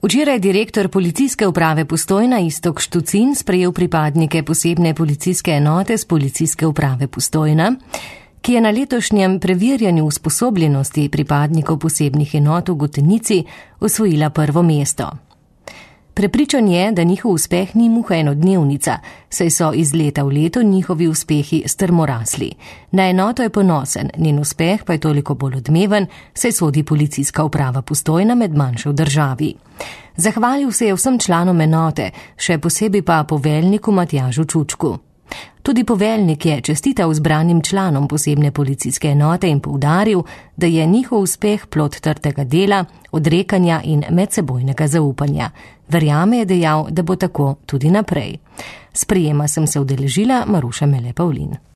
Včeraj je direktor policijske uprave Postojna Iztok Štucin sprejel pripadnike posebne policijske enote z policijske uprave Postojna, ki je na letošnjem preverjanju usposobljenosti pripadnikov posebnih enot v Gotenici osvojila prvo mesto. Prepričan je, da njihov uspeh ni muha enodnevnica, saj so iz leta v leto njihovi uspehi strmo rasli. Na enoto je ponosen, njen uspeh pa je toliko bolj odmeven, saj sodi policijska uprava Postojna med manjše v državi. Zahvalil se je vsem članom enote, še posebej pa poveljniku Matjažu Čučku. Tudi poveljnik je čestital zbranim članom posebne policijske enote in poudaril, da je njihov uspeh plod trdega dela, odrekanja in medsebojnega zaupanja. Verjame, je dejal, da bo tako tudi naprej. Sprejema sem se udeležila Maruša Mele Pavlin.